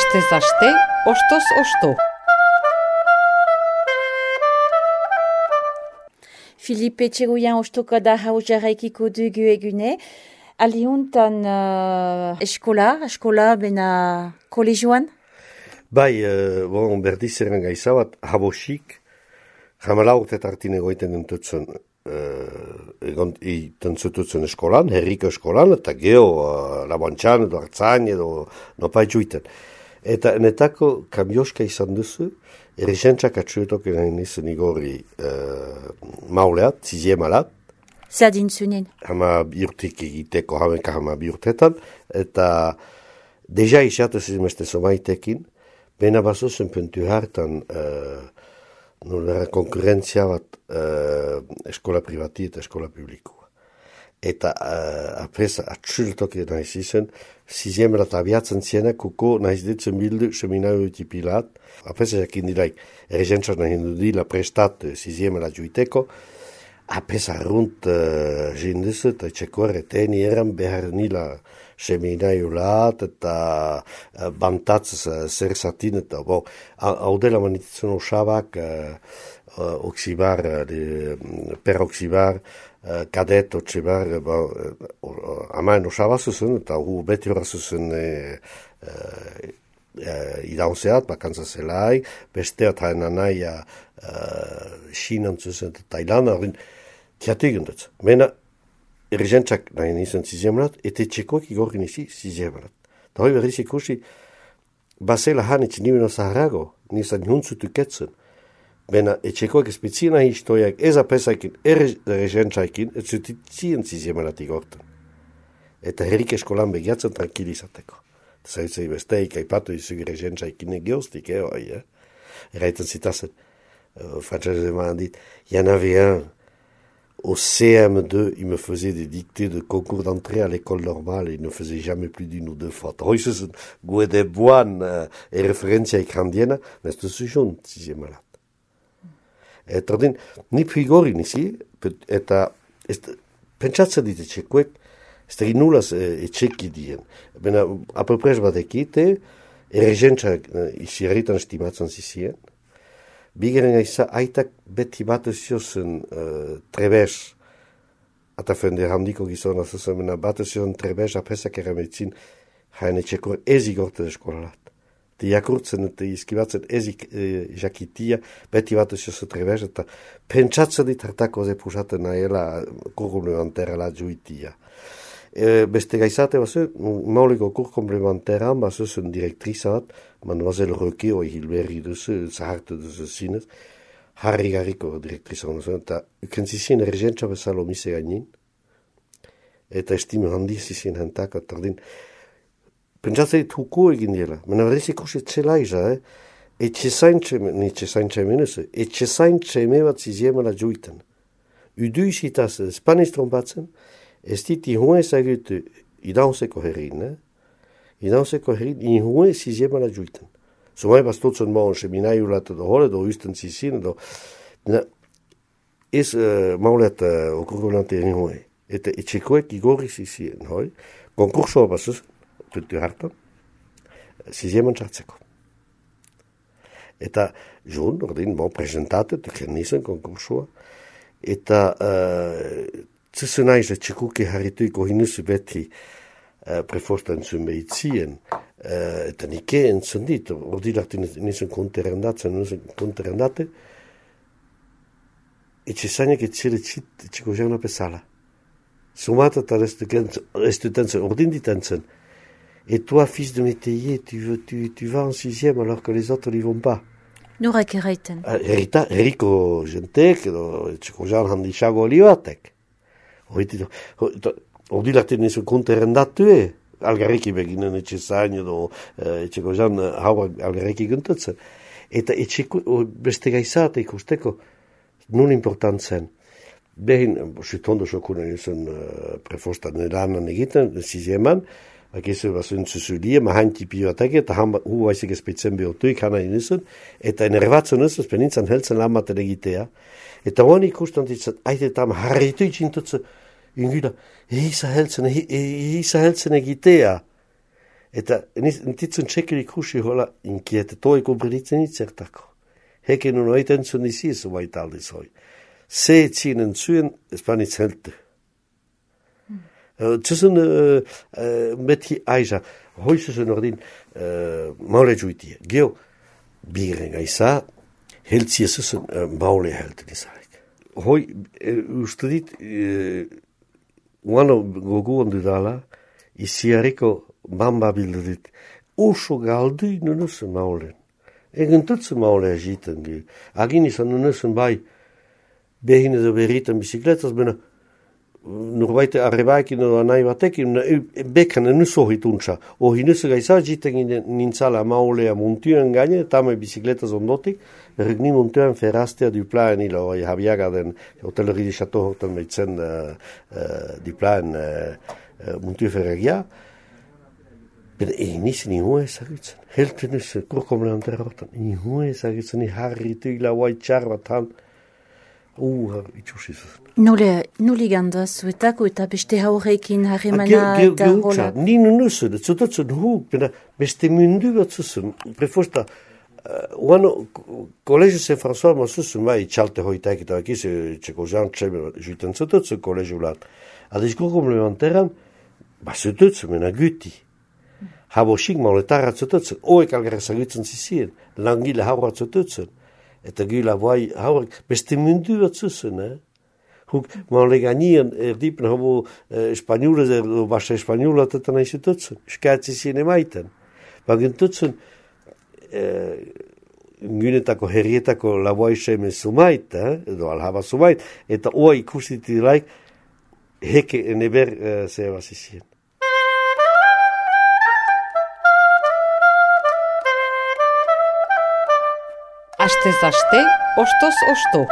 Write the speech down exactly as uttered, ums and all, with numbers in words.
Astez aste, ostoz osto. Filipe Txegoian ostoka da hau jarraikiko dugu egune. Aliuntan uh, eskola, eskola bena kolegioan? Bai, uh, bon, berdiz eran gaizabat, habosik, jamala urte tartin egoiten entutzen, uh, egon iten zututzen eskolan, herriko eskolan, eta geho, uh, labantxan, edo hartzan, edo nopaitzuiten. Eta enetako kamioska izan duzu, erisentzak atxuetok egin izan igorri uh, mauleat, ziziemalat, Zadin zunen. Hama biurtik egiteko, hamenka hama biurtetan, eta deja isatu zizimeste somaitekin, bena bazuzen puntu hartan uh, nolera konkurrentzia bat uh, eskola privati eta eskola publikoa. Eta uh, apresa atxultok nahiz izan, ziziemela abiatzen ziena, kuko nahiz ditzen bildu seminario utipilat, apresa jakin dilaik, erizentzak nahi dudila prestat ziziemela juiteko, apesa arrunt uh, jinduzu eta txeko erreteni eran behar nila seminario lat eta uh, bantatz uh, zer zatin eta bo, hau dela manititzen osabak uh, uh, oksibar, uh, peroksibar, uh, kadet oksibar, uh, uh, amaen osaba zuzen eta hu beti horra zuzen uh, uh, Uh, idaunzeat, bakantza zelai, besteat haen anaia uh, Sinan zuzen eta Tailana, horren tiatu egin dut. Mena, erizentzak nahi nizan ziziemalat, eta txekoak igorgin izi ziziemalat. Da hoi berriz ikusi, basela hanitz nibeno zaharago, nizan juntzutu ketzen. Mena, etxekoak espetzi nahi istoiak, ez apesaikin, erizentzaikin, ez zutitzien ziziemalat igorten. Eta herrik eskolan begiatzen tranquilizateko. Zaitzei besteik, aipatu izu erizentzaikin egioztik, eh, oi, eh? Eraiten zitazen, uh, frantzese eman dit, y'en avait un, au C M deux, il me faisait des dictées de concours d'entrée à l'école normale, il ne faisait jamais plus d'une ou deux fautes. Hoi zuzen, gue de boan, uh, e referentzia ikrandiena, nestu zuzun, ziziemalat. Eta ordin, ni pigori nizi, eta pentsatzen dit etxekuek, ez da ginulaz etxeki dien. Bena, aproprez bat ekite, erizentzak izi herritan estimatzen zizien, bigeren aiza, aitak beti bat eziozen uh, trebez, eta fende handiko gizona zuzen, bena bat eziozen trebez apresak erametzin, jaen etxeko ez igorte eskolalat. Te jakurtzen eta izkibatzen ez e, jakitia, beti bat eziozen trebez, eta pentsatzen dit hartako ze pusaten nahiela kurkulementera la juitia. E, beste gaizate bazu, mauliko kur komplementeran, bazu zen direktrizat, Mademoiselle Roque, oi hilberri duzu, zahartu duzu zinez, harri garriko direktrizan duzu, eta ukentzizien ergentza bezalo mise gainin, eta estime handiz izien hentak, eta ordin, pentsatzen dit huku egin dela, mena berriz ikusi txela iza, eh? Etxe zaintxe, ni etxe zaintxe menuzu, etxe zaintxe eme bat ziziemela juiten. Udu isitaz, espaniz trompatzen, ez dit ihuen ezagutu idaunzeko herrin, eh? Idaunzeko herrin, ihuen ziziemala juiten. Zumai bastutzen maun seminaiulat edo hole, edo usten zizin, edo... Ez uh, maulet uh, okurgulante ihuen. Eta etxekoek igorri zizien, hoi? Konkursoa basuz, tutu hartan, zizieman txartzeko. Eta, jun, ordin, bon, presentate, tuken nisen konkursoa, eta... Uh, Zuzen aiz, etxekuke harrituiko hinuzu beti uh, prefostan zuen behitzien, uh, eta nike entzun dit, ordi lartu nizun konterendatzen, nizun konterendate, etxe zainak etxere txit, etxeko jauna pesala. Sumata eta restutentzen, ordin ditentzen, et toi, fils de métayer, tu, tu, tu vas en sixième alors que les autres n'y vont pas. Norek erraiten. Herrita, herriko jentek, edo etxeko jaun handixago oli batek. Ordi larten nizun konterendatu, eh? Algarriki beginen etxe zain edo etxeko zan hau algarriki guntatzen. Eta etxeko beste gaizate ikusteko nun important zen. Behin, sütondo sokunen nizun uh, prefostan eranan egiten, zizieman, akizu bazuen zuzulie, mahain tipi batek, eta han hu baizik espetzen behotuik hana nizun, eta enerbatzen nizun, penintzan heltzen lan baten egitea. Eta hoan ikusten ditzen, aite eta harritu itxintutze, ingila, eiza heltzen, eiza heltzen egitea. Eta nititzen txekerik husi hola inkiete, toi komprenitzen itzertako. Heke nun oiten zuen izi ez baita aldiz hoi. Se etzinen zuen, espanitz helte. Tzuzen meti aiza, hoi zuzen ordin maule juitie. Geo, biren gaiza, heltzie zuzen maule helten izarek. Hoi, uste dit, uano gogu ondu dala, iziareko bamba bildu dit, oso galdu nunuzen maulen. Egen tutsen maule agiten ge. Agin izan nunuzen bai, behin edo berritan bizikletas, bena, norbaite arrebaikin edo nahi batekin, bekan enus ohi tuntza. Ohi nusu gaisa jiten nintzala maulea muntuen gaine, tame bizikletas ondotik, regni muntuen feraztea duplaen ilo, oi habiaga den hoteleri di chateau hortan meitzen uh, uh, duplaen uh, uh, muntuen ferregia. Ben egin nisi ni hua ezagutzen. Helten nusu, kurkomle antera hortan, ni hua ezagutzen, ni harritu ila huai txarbatan. Uh, itxusizuz. Nole, noli ganda zuetako eta beste haurekin harremana eta hola? Ni nunuzen, zutotzen hu, beste mundu bat zuzen, prefosta, uano, Kolegio Saint-François ma zuzen, bai, txalte hoitaik eta bakiz, txeko jantxe, juiten zutotzen kolegio lat. Adizko komplementeran, ba zutotzen, mena guti. Habosik mauletarra zutotzen, oek algarra zagutzen zizien, langile haura zutotzen. Eta gila bai haurak, beste mundu bat zuzen, eh? Huk, maule ganien, erdipen hobo eh, espanjulez, erdo basa espanjulat eta nahi zututzen, skaatzi zine maiten. Bagen tutzen, eh, ngunetako herrietako laboai seme sumait, eh? Edo alhaba sumait, eta oa ikustiti laik, heke eneber eh, zeba zizien. Astez aste, ostoz osto.